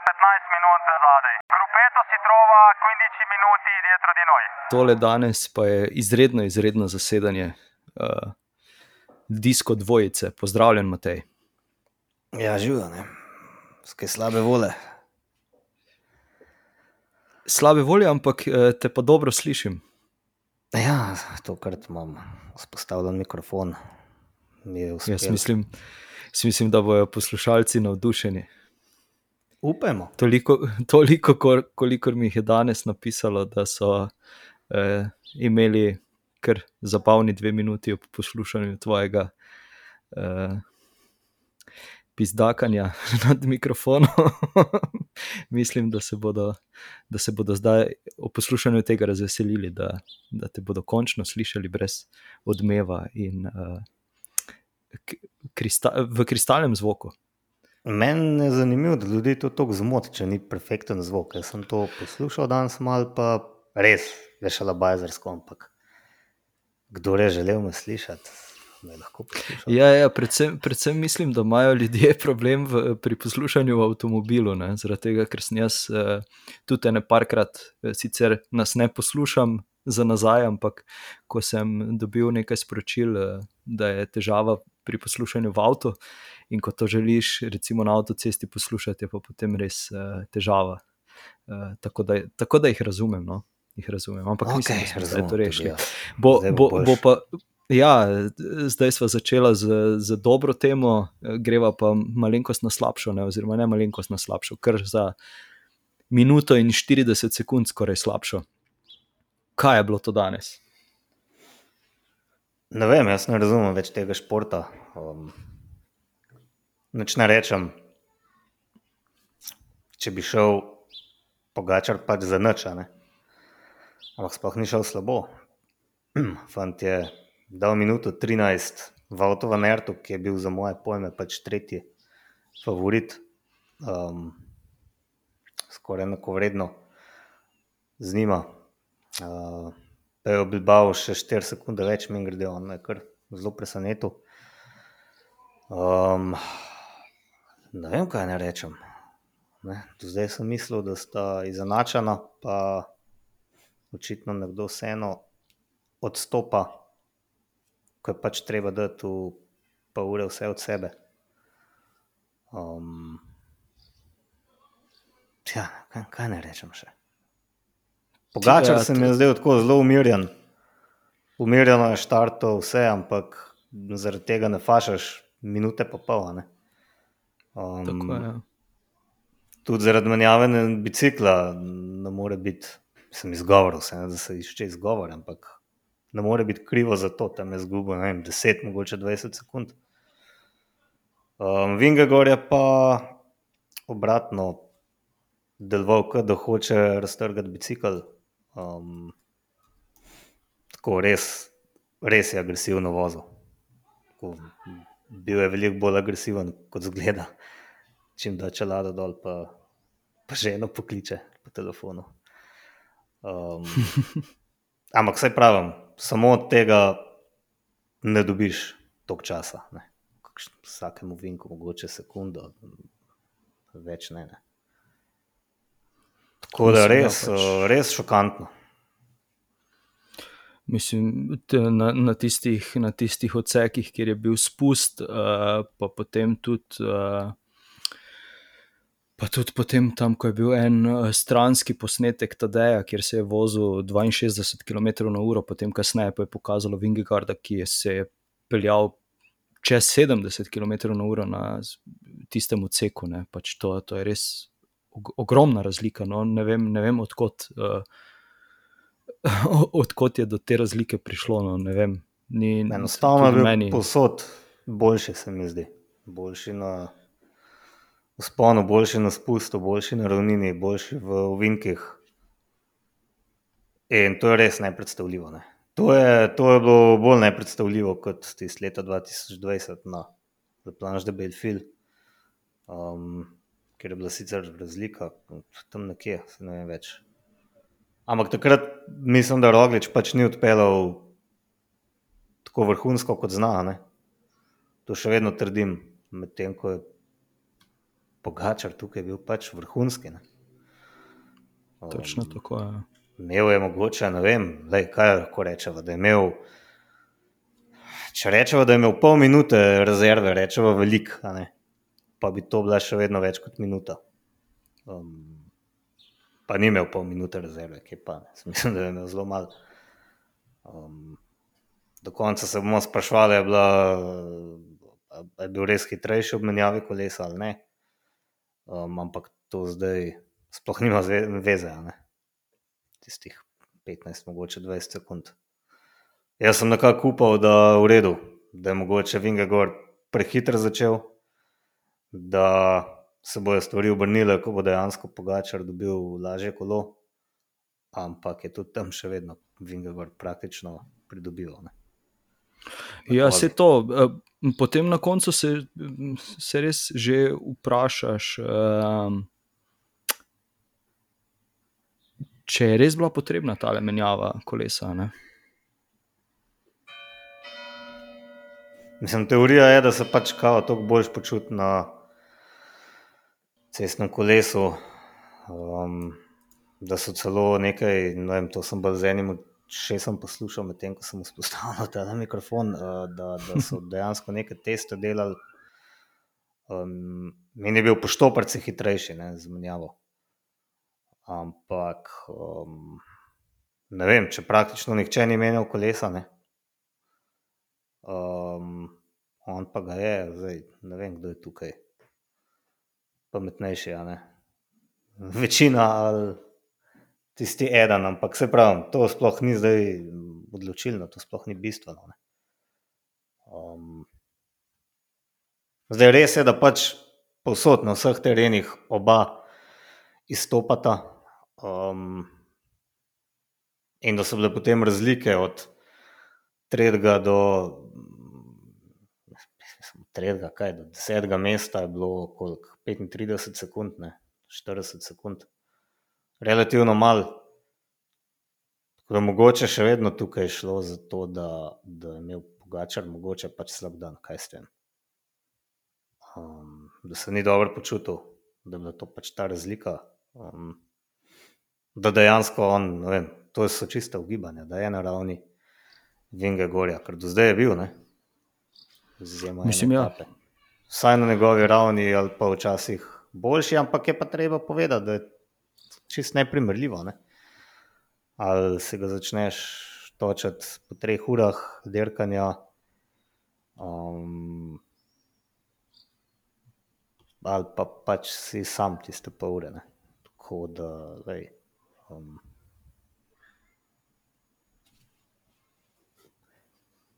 15 minut zadaj. Gruppetto si trova 15 minuti dietro di noi. Tole danes pa je izredno zasedanje Disko dvojice. Pozdravljen, Matej. Ja, živijo, ne. Skaj slabe vole. Slabe volje, ampak te pa dobro slišim. Ja, tokrat imam vzpostavljen mikrofon. Mi je uspel. Jaz mislim, da bojo poslušalci navdušeni. Upajmo. Toliko kolikor mi jih je danes napisalo, da so imeli kar zabavni 2 minuti ob poslušanju tvojega pizdakanja nad mikrofonom. Mislim, da se bodo zdaj ob poslušanju tega razveselili, da te bodo končno slišali brez odmeva in v kristalnem zvoku. Meni je zanimivo, da ljudi to toliko zmoti, če ni perfekten zvok. Jaz sem to poslušal danes malo, pa res vešalabajzersko, ampak kdo je želel me slišati, me lahko poslušal. Ja, predvsem mislim, da imajo ljudje problem pri poslušanju v avtomobilu, ne? Zaradi tega, ker sem jaz tudi ene parkrat, sicer nas ne poslušam za nazaj, ampak ko sem dobil nekaj sporočil, da je težava pri poslušanju v avtu in ko to želiš recimo na avtocesti poslušati, je pa potem res težava. Tako da jih razumem, no. Jih razumem, ampak mislim, da smo to rešili. Bo pa, ja, zdaj sva začela z dobro temo, greva pa malenkost na slabšo, ne, oziroma ne malenkost na slabšo, kar za minuto in 40 sekund skoraj slabšo. Kaj je bilo to danes? Ne vem, jaz ne razumem več tega športa. Nič ne rečem, če bi šel Pogačar pač za nič, ne? Ampak sploh ni šel slabo. Fant je dal minuto 13 v Wout van Aertu, ki je bil za moje pojme pač tretji favorit. Skoraj enakovredno z njima. Pejo Bilbao še 4 sekunde več, mimogrede, on me je kar zelo presenetil. Ne vem, kaj ne rečem. Ne? Do zdaj sem mislil, da sta izenačena, pa očitno nekdo vseeno odstopa, ko je pač treba dati v pol ure vse od sebe. Kaj ne rečem še? Pogačar se mi je zdaj tako zelo umirjen. Umirjeno je štartov vse, ampak zaradi tega ne fašaš minute pa pol, ne? Tako je, ja. Tudi zaradi menjavanja bicikla ne more biti, sem izgovoril se, ne, da se išče izgovor, ampak ne more biti krivo za to, tam je zgubo, ne vem, 10, mogoče 20 sekund. Vingegaard je pa obratno deloval, da hoče raztrgati bicikl. Tako res je agresivno vozil. Tako, bil je veliko bolj agresiven, kot zgleda. Čim da čelado dol, pa ženo pokliče po telefonu. Ampak saj pravim, samo od tega ne dobiš toliko časa, ne. Vsakemu vinku mogoče sekundo, več ne. Tako da res šokantno. Mislim, na tistih odsekih, kjer je bil spust, pa potem tudi potem tam, ko je bil en stranski posnetek Tadeja, kjer se je vozil 62 km/h, potem kasneje pa je pokazalo Vingegaarda, ki se je peljal čez 70 km/h na tistem odseku, ne. Pač to je res ogromna razlika, no. Ne vem odkot je do te razlike prišlo, no, ne vem. Enostavno je bil povsod boljši, se mi zdi. Boljši na vzponu, boljši na spustu, boljši na ravnini, boljši v ovinkih. In to je res nepredstavljivo, ne. To je bilo bolj nepredstavljivo kot tisto leta 2020 na La Planche de Belleville, kjer je bila sicer razlika tam nekje, se ne vem več. Ampak takrat mislim, da Roglič pač ni odpeljal tako vrhunsko kot zna, ne. To še vedno trdim, medtem ko je Pogačar tukaj bil pač vrhunski. Ne? Točno tako je. Imel je mogoče, ne vem, kaj lahko rečeva, da je imel, če rečeva, da je imel pol minute rezerve, rečeva velik, pa bi to bila še vedno več kot minuta. Pa ni imel pol minute rezerve, ki pa ne. Mislim, da je imel zelo malo. Do konca se bomo sprašvali, je bil res hitrejši ob menjavi kolesa ali ne. Ampak to zdaj sploh nima veze, tistih 15, mogoče 20 sekund. Jaz sem nekako upal, da v redu, da je mogoče Vingegaard prehitro začel, da se bojo stvari obrnile, ko bo dejansko Pogačar dobil lažje kolo, ampak je tudi tam še vedno Vingegaard praktično pridobival. Ja, se to. Potem na koncu se res že vprašaš, če je res bila potrebna tale menjava kolesa. Ne? Mislim, teorija je, da se pač kao toliko boljš počuti na cestnem kolesu, da so celo nekaj, ne vem, to sem bolj z enim šestom poslušal, medtem ko sem vzpostavil ta mikrofon, da so dejansko neke teste delali. Meni je bil po štoparci hitrejši, z menjavo. Ampak ne vem, če praktično nihče ni menjal kolesa, on pa ga je, zdaj ne vem, kdo je tukaj pametnejši, večina ali tisti eden, ampak se pravim, to sploh ni zdaj odločilno, to sploh ni bistveno. Zdaj res je, da pač povsod na vseh terenih oba izstopata, in da so bile potem razlike od tretjega do 10. mesta je bilo koliko, 35 sekund, 40 sekund. Relativno malo. Tako da mogoče še vedno tukaj šlo za to, da je imel Pogačar mogoče pač slab dan, kaj s tem. Da se ni dobro počutil, da je bila to pač ta razlika. Da dejansko on, ne vem, to so čiste ugibanja, da je na ravni Vingegaarda, ker do zdaj je bil, Mislim, ja. Vsaj na njegovi ravni ali pa včasih boljši, ampak je pa treba povedati, da je čist neprimerljivo. Ali se ga začneš točati po 3 urah dirkanja, ali pa pač si sam tiste pol ure. Tako da,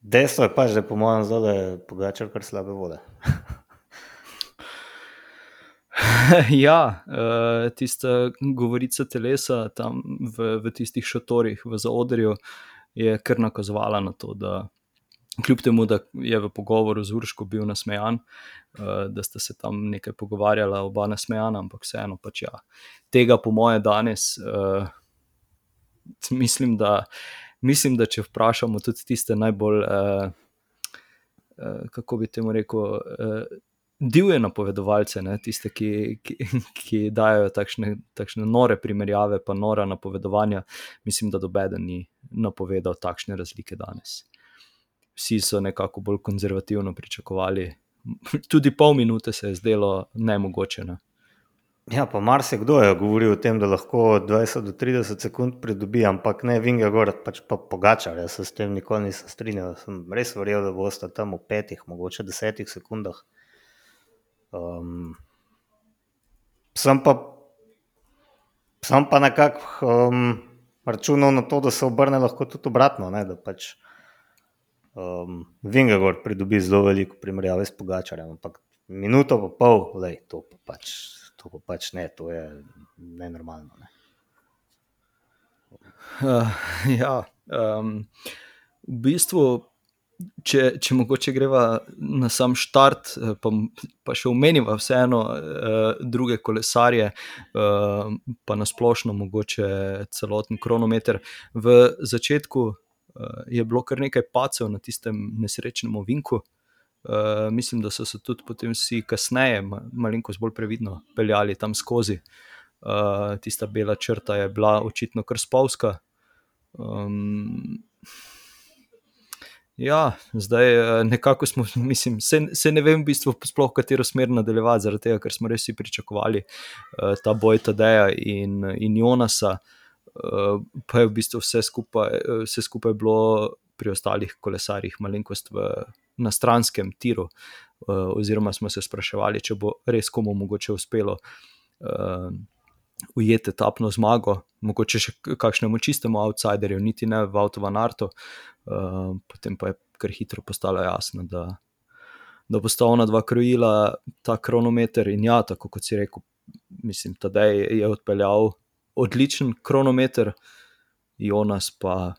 dejstvo je pač, da je po mojem zdaj Pogačar kar slabe vode. Ja, tista govorica telesa tam v tistih šatorih v zaodrju je kar nakazovala na to, da kljub temu, da je v pogovoru z Urško bil nasmejan, da sta se tam nekaj pogovarjala, oba nasmejana, ampak vseeno pač ja. Tega po moje danes mislim, da če vprašamo tudi tiste najbolj, kako bi temu rekel, divje napovedovalce, tiste, ki dajo takšne nore primerjave pa nora napovedovanja, mislim, da nobeden ni napovedal takšne razlike danes. Vsi so nekako bolj konzervativno pričakovali, tudi pol minute se je zdelo nemogoče. Ja, pa marsikdo je govoril o tem, da lahko 20 do 30 sekund pridobi, ampak ne Vingegaard, pač pa Pogačar. Jaz se s tem nikoli nisem strinjal, sem res verjel, da bosta tam v 5, mogoče 10 sekundah. Sem pa nekako računal na to, da se obrne lahko tudi obratno, da pač Vingegaard pridobi zelo veliko primerjave s Pogačarjem, ampak minuto pa pol, to pa pač ne, to je nenormalno. Ja, v bistvu če mogoče greva na sam štart, pa še omeniva vseeno druge kolesarje, pa nasplošno mogoče celoten kronometer. V začetku je bilo kar nekaj padcev na tistem nesrečnem ovinku, Mislim, da so se tudi potem vsi kasneje malenkost bolj previdno peljali tam skozi. Tista bela črta je bila očitno kar spolzka. Ja, zdaj nekako smo, mislim, se ne vem v bistvu sploh katero smer nadaljevati, zaradi tega, ker smo res vsi pričakovali ta boj Tadeja in Jonasa, pa je v bistvu vse skupaj bilo pri ostalih kolesarjih malenkost na stranskem tiru, oziroma smo se spraševali, če bo res komu mogoče uspelo ujeti etapno zmago, mogoče še kakšnemu čistemu outsiderju, niti ne v Wout van Aertu. Potem pa je kar hitro postalo jasno, da bo sta ona dva krojila ta kronometer in ja, tako kot si rekel, mislim, Tadej je odpeljal odličen kronometer, Jonas pa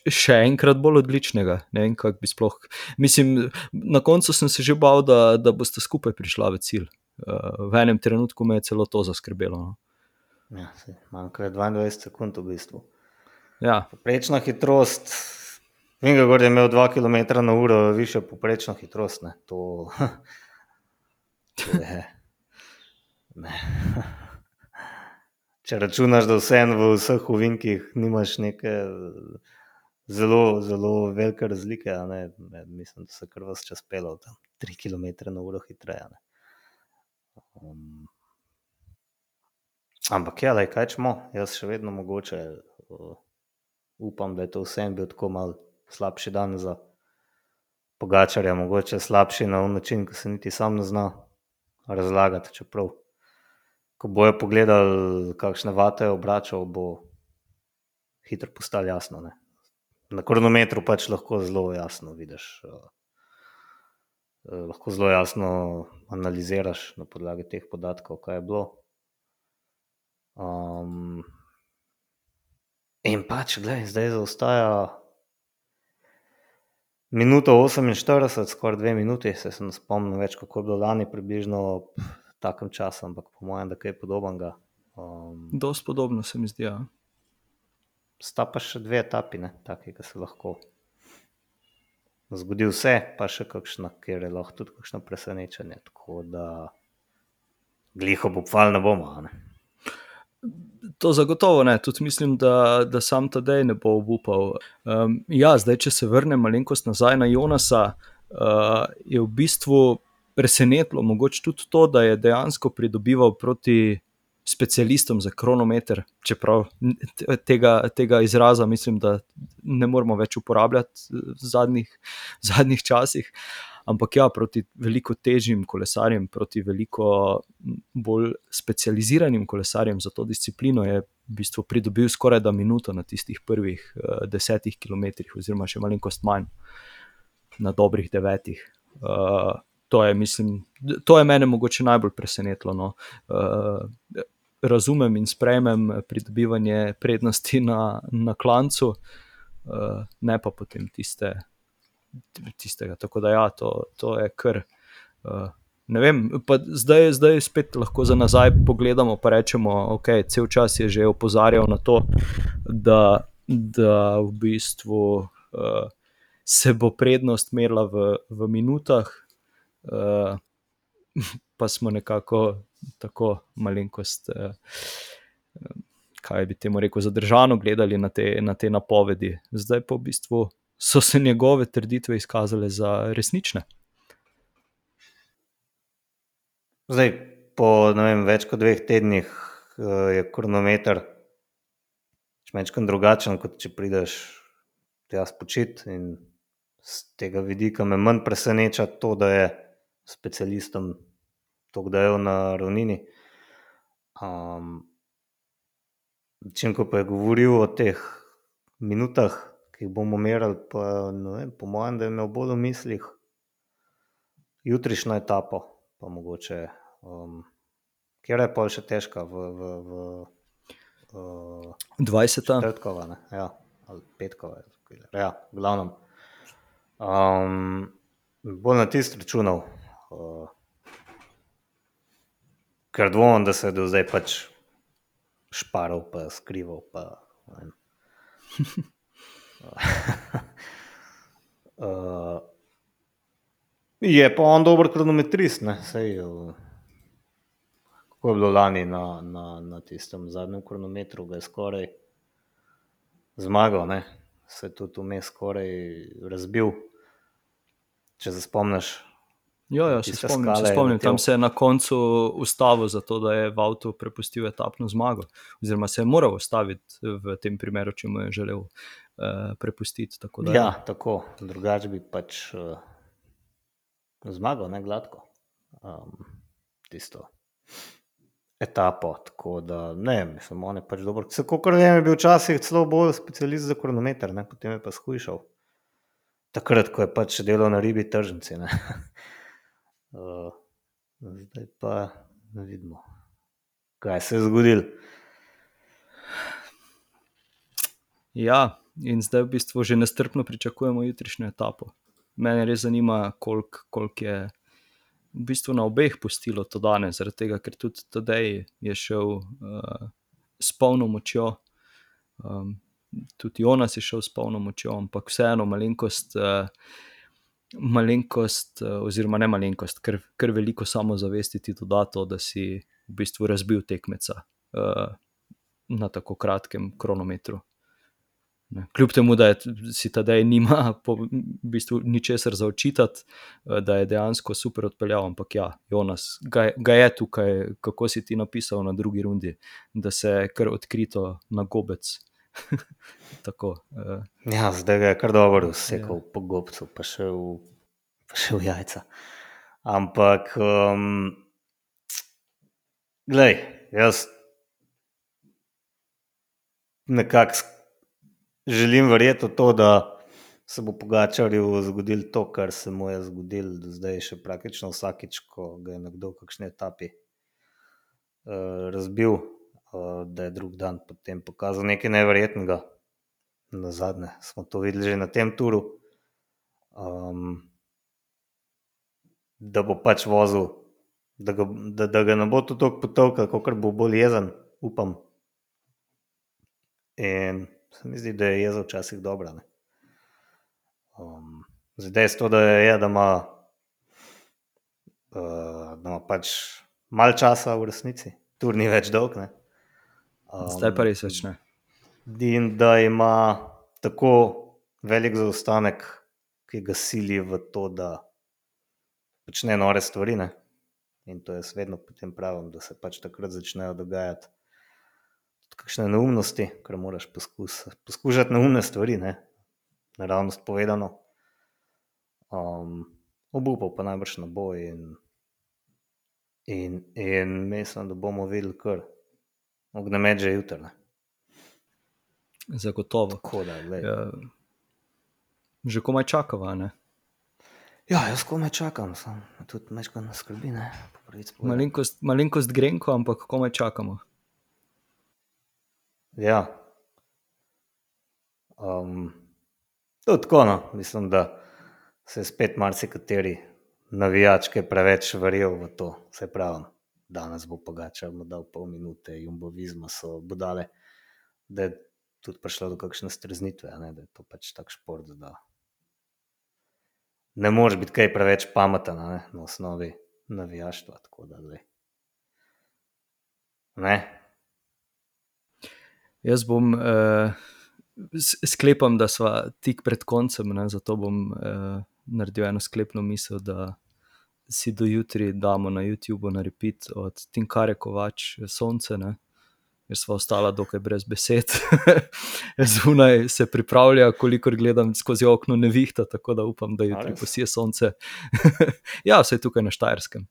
še enkrat bolj odličnega, ne vem, kako bi sploh, mislim, na koncu sem se že bal, da boste skupaj prišla v cilj. V enem trenutku me je celo to zaskrbelo. No. Ja, manjka 22 sekund v bistvu. Ja. Poprečna hitrost, Vingegaard je imel 2 km/h više poprečno hitrost, ne, to je, ne. Če računaš, da vseeno v vseh ovinkih nimaš neke zelo, zelo velike razlike, a ne, mislim, da se kar vas čas pelal tam 3 km/h hitreje, ne. Ampak ja, kaj čemo, jaz še vedno mogoče upam, da je to vseeno bil tako malo slabši dan za Pogačarja, mogoče slabši na način, ko se niti sam ne zna razlagati, čeprav ko bojo pogledali, kakšne vate je obračal, bo hitro postalo jasno, ne. Na kronometru pač lahko zelo jasno vidiš, lahko zelo jasno analiziraš na podlagi teh podatkov, kaj je bilo. In pač, glej, zdaj zaostaja minuto 48, skoraj 2 minuti, se ne spomnim več, kako je bilo lani približno v takem času, ampak po mojem, da kaj podobnega. Dosti podobno se mi zdi, ja. Sta pa še 2 etapi, ne, taki, ki se lahko zgodi vse, pa še kakšna, kjer je lahko tudi kakšno presenečenje, tako da gliho obupali ne bomo, a ne. To zagotovo ne, tudi mislim, da sam Tadej ne bo obupal. Ja, zdaj, če se vrnem malenkost nazaj na Jonasa, je v bistvu presenetilo mogoče tudi to, da je dejansko pridobival proti specialistom za kronometer, čeprav tega izraza mislim, da ne moramo več uporabljati v zadnjih časih, ampak ja, proti veliko težjim kolesarjem, proti veliko bolj specializiranim kolesarjem za to disciplino je v bistvu pridobil skoraj da minuto na tistih prvih 10 kilometrih oziroma še malenkost manj na dobrih 9. To je, mislim, to je mene mogoče najbolj presenetilo, no. Razumem in sprejmem pridobivanje prednosti na klancu, ne pa potem tistega, tako da ja, to je kar, ne vem, pa zdaj spet lahko za nazaj pogledamo pa rečemo, ok, cel čas je že opozarjal na to, da v bistvu se bo prednost merila v minutah, pa smo nekako tako malenkost, kaj bi temu rekel, zadržano gledali na te napovedi. Zdaj pa v bistvu so se njegove trditve izkazale za resnične. Zdaj, po ne vem, več kot 2 tednih je kronometer čmečkan drugačen, kot če prideš tja spočit, in z tega vidika me manj preseneča to, da je specialistom toliko dajal na ravnini. Čim ko pa je govoril o teh minutah, ki jih bomo merili, pa ne vem, po mojem, da je imel bolj v mislih jutrišnjo etapo, pa mogoče, kjer je pol še težka v 20. četrtkova, ne, ja, ali petkova, ja, v glavnem. Bolj na tisto računal, ker dvomim, da se je do zdaj pač šparal pa skrival pa ne vem. Je pa on dober kronometrist, ne, sej, kako je bilo lani na tistem zadnjem kronometru, ga je skoraj zmagal, ne, se je tudi vmes skoraj razbil, če se spomniš. Ja, se Tiste spomnim, skale je letel. tam se je na koncu ustavil zato, da je v avtu prepustil etapno zmago, oziroma se je moral ustaviti v tem primeru, če mu je želel prepustiti. Tako da, Ja, tako, drugače bi pač zmagal, ne, gladko, tisto etapo, tako da, ne, mislim, on je pač dober. Kakor vem, je bil včasih celo bolj specialist za kronometer, ne, potem je pa shujšal. Takrat, ko je pač delal na ribi tržnici, ne. Zdaj pa ne vidimo, kaj se je zgodilo. ja, in zdaj v bistvu že nestrpno pričakujemo jutrišnjo etapo. Mene res zanima, koliko je v bistvu na obeh pustilo to danes, zaradi tega, ker tudi Tadej je šel s polno močjo, tudi Jonas je šel s polno močjo, ampak vseeno malenkost, oziroma ne malenkost, ker veliko samozavesti ti doda to, da si v bistvu razbil tekmeca na tako kratkem kronometru. Kljub temu, da si Tadej nima v bistvu ničesar za očitati, da je dejansko super odpeljal, ampak ja, Jonas ga je tukaj, kako si ti napisal na drugi rundi, da se je kar odkrito na gobec. Tako. Ja, zdaj ga je kar dobro usekal po gobcu, pa še v jajca. Ampak, glej, jaz nekako želim verjeti v to, da se bo Pogačarju zgodilo to, kar se mu je zgodilo do zdaj še praktično vsakič, ko ga je nekdo v kakšni etapi razbil, da je drug dan potem pokazal nekaj neverjetnega. Nazadnje smo to videli že na tem turu, da bo pač vozil, da ga ne bo to toliko potolkal, kakor bo bolj jezen, upam. In se mi zdi, da je jeza včasih dobra, ne. Zdaj dejstvo, da ima pač malo časa v resnici, tur ni več dolg, ne. Zdaj pa res več ne. In da ima tako velik zaostanek, ki ga sili v to, da počne nore stvari, ne. In to jaz vedno potem pravim, da se pač takrat začnejo dogajati kakšne neumnosti, ker moraš poskušati neumne stvari, ne, naravnost povedano. Obupal pa najbrž ne bo in mislim, da bomo videli kar ognjemet že jutri, ne. Zagotovo. Tako da, glej. Že komaj čakava, ne? Ja, jaz komaj čakam, tudi majčkeno nas skrbi, ne. Malenkost grenko, ampak komaj čakamo. Ja. To tako, no, mislim, da se je spet marsikateri navijač, ki je preveč verjel v to, se pravim, danes bo Pogačar mu dal pol minute, Jumbo Visma so budale, da je tudi prišlo do kakšne streznitve, ne, da je to pač tak šport, da ne moreš biti kaj preveč pameten, ne, na osnovi navijaštva, tako da, glej. Ne? Jaz bom, sklepam, da sva tik pred koncem, ne, zato bom naredil eno sklepno misel, da si do jutri damo na YouTubeu na repeat od Tinkare Kovač Sonce, ne, ker sva ostala dokaj brez besed. Zunaj se pripravlja, kolikor gledam skozi okno nevihta, tako da upam, da jutri posije sonce. Ja, vsaj tukaj na Štajerskem.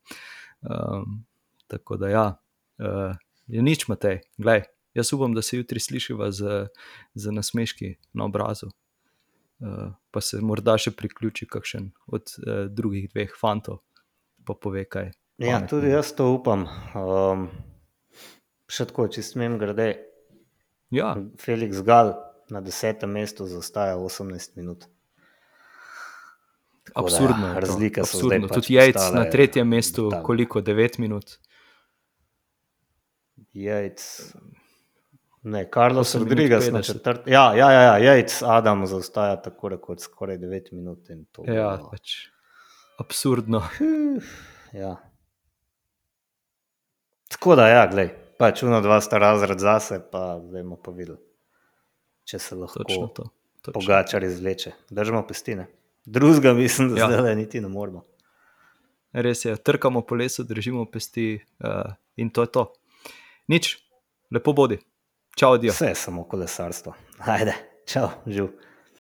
Tako da ja, je nič, Matej, glej. Jaz upam, da se jutri slišiva z nasmeški na obrazu. Pa se morda še priključi kakšen od drugih dveh fantov, pa pove kaj. Ja, tudi jaz to upam. Še tako, če smem grede. Ja. Felix Gal na 10. mestu zaostaja 18 minut. Tako absurdno da, je to. razlike so Absurdno. zdaj pač Tudi Yates postale na 3. mestu, brutalne. koliko, 9 minut? Yates, ne, Carlos 8 minut Rodriguez na 50. 4. Ja, Yates, Adam zaostaja tako rekoč skoraj 9 minut in to Ja, bo pač absurdno. Ja. Tako da, ja, glej, pač uno dva sta razred zase, pa bomo pa videli, če se lahko Točno to. Pogačar izvleče. Držimo pesti, ne? Drugega mislim, da Ja. zdaj niti ne moramo. Res je, trkamo po lesu, držimo pesti in to je to. Nič, lepo bodi. Čau, adijo. Vse je samo kolesarstvo. Ajde, čau, živ.